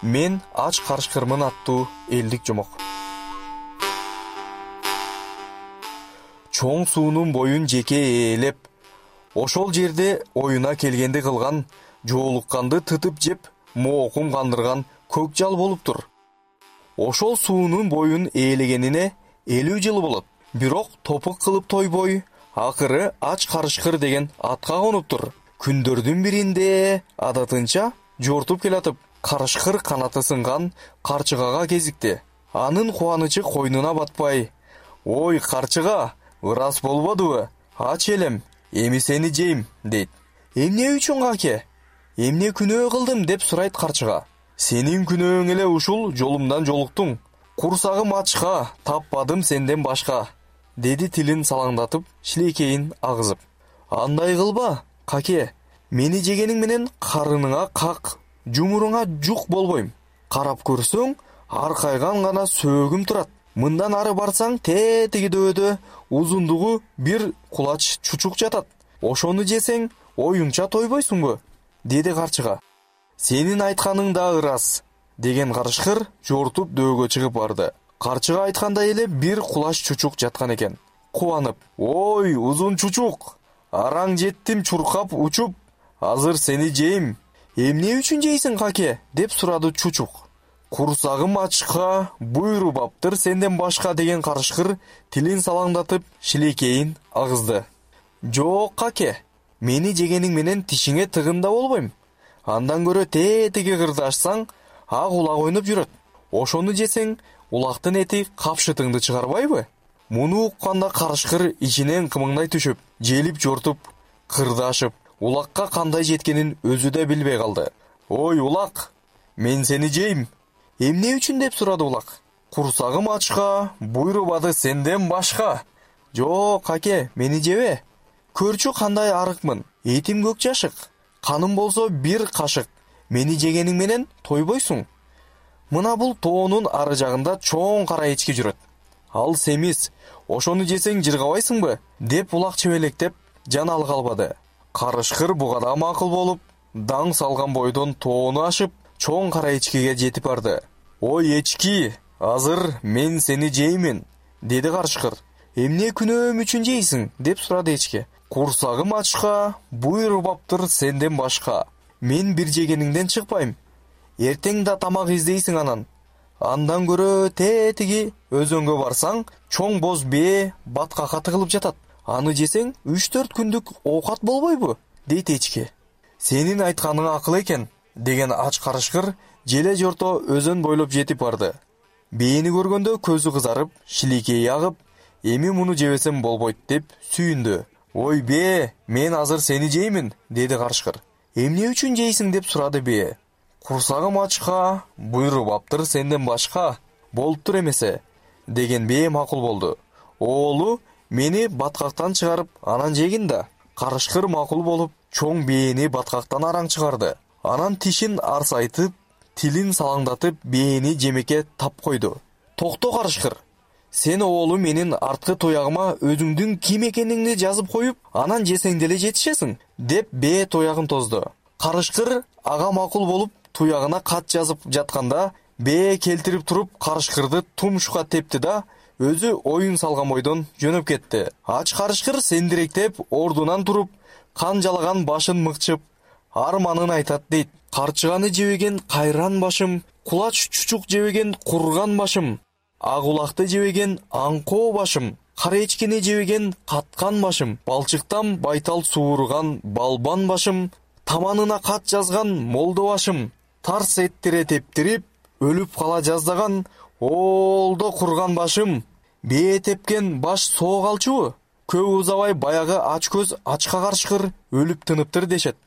Мен ач карышкырмын аттуу элдик жомок. Чоң суунун боюн жеке ээлеп, ошол жерде оюна келгенди кылган, жоолукканды тытып жеп, моокун кандырган көк жал болуптур. Ошол суунун боюн ээлегенине 50 жыл болот. Бирок топук кылып тойбой, акыры ач карышкыр деген атка конуптур. Күндөрдүн биринде адатынча жортуп келатып, карышкыр канаты сынган карчыгага кезикти. Анын кубанычы койнуна батпай: "Ой, карчыга, ырас болбодубу? Ач элем, эми сени жейм", дейт. "Эмне үчүн, каке? Эмне күнөө кылдым?" деп сурайт карчыга. "Сенин күнөөң эле ушул, жолумдан жолуктуң. Курсагым ачка, таппадым сенден башка", деди тилин салаңдатып, шилекейин агызып. "Андай кылба, каке. Мени жегениң менен карыныңа как, жумуруңа жук болбойм. Карап көрсөң, аркайган гана сөөгүм турат. Мындан ары барсаң, тетиги дөбөдө узундугу бир кулач чучук жатат. Ошону жесең, оюңча тойбойсуңбу?" деди карчыга. "Сенин айтканың да ырас", деген карышкыр жортуп дөөгө чыгып барды. Карчыга айткандай эле бир кулач чучук жаткан экен. Кубанып: "Ой, узун чучук, араң жеттим чуркап учуп, азыр сени жейм". "Эмне үчүн жейсиң, каке?" деп сурады чучук. "Курсагым ачка, буйрубаптыр сенден башка", деген карышкыр тилин салаңдатып, шилекейин агызды. "Жок, каке. Мени жегениң менен тишиңе тыгында болбойм. Андан көрө тетиги кырдашсаң, ак улак ойноп жүрөт. Ошону жесең, улактын эти капшытыңды чыгарбайбы?" Муну укканда карышкыр ичинен кымыңдай түшүп, желип жортуп, кырдашып, улакка кандай жеткенин өзү да билбей калды. "Ой, улак, мен сени жейм". "Эмне үчүн?" деп сурады улак. "Курсагым ачка, буйрубады сенден башка". "Жок, каке, мени жебе. Көрчү кандай арыкмын. Этим көк жашык, каным болсо бир кашык. Мени жегениң менен тойбойсуң. Мына бул тоонун ары жагында чоң кара эчки жүрөт. Ал семиз, ошону жесең жыргабайсыңбы?" деп улак чебелектеп, жаналы калбады. Карышкыр буга да макул болуп, даң салган бойдон тоону ашып, чоң кара эчкиге жетип барды. "Ой, эчки, азыр мен сени жеймин", деди карышкыр. "Эмне күнөөм үчүн жейсиң?" деп сурады эчки. "Курсагым ачка, буйрубаптыр сенден башка. Мен бир жегениңден чыкпайм. Эртең да тамак издейсиң анан. Андан көрө тетиги өзөнгө барсаң, чоң боз бээ баткакка тыгылып жатат. Аны жесең 3-4 күндүк оокат болбойбу?" дейт эчки. "Сенин айтканың акыл экен", деген ач карышкыр желе жорто өзөн бойлоп жетип барды. Бээни көргөндө көзү кызарып, шилекейи агып, "Эми муну жебесем болбойт" деп сүйүндү. "Ой, бээ, мен азыр сени жеймин", деди карышкыр. "Эмне үчүн жейсиң?" деп сурады бээ. "Курсагым ачка, буйрубаптыр сенден башка. Болуптур эмесе", деген бээ макул болду. "Оолу мени баткактан чыгарып, анан жегин да". Карышкыр макул болуп, чоң бээни баткактан араң чыгарды. Анан тишин арсайтып, тилин салаңдатып, бээни жемекке тап койду. "Токто, карышкыр. Сен оолу менин арткы туягыма өзүңдүн ким экениңди жазып коюп, анан жесең деле жетишесиң", деп бээ туягын тозду. Карышкыр ага макул болуп, туягына кат жазып жатканда, бээ келтирип туруп карышкырды тумшукка тепти да, өзү оюн салган бойдон жөнөп кетти. Ач карышкыр сендиректеп ордунан туруп, кан жалаган башын мыкчып, арманын айтат дейт. "Карчыганы жебеген кайран башым, кулач чучук жебеген курган башым, ак улакты жебеген аңкоо башым, кара эчкини жебеген каткан башым, балчыктан байтал сууруган балбан башым, таманына кат жазган молдо башым, тарс эттире тептирип, өлүп кала жаздаган оолдо курган башым". Бээ тепкен баш соо калчубу? Көп узабай баягы ач көз ачка карышкыр өлүп тыныптыр дешет.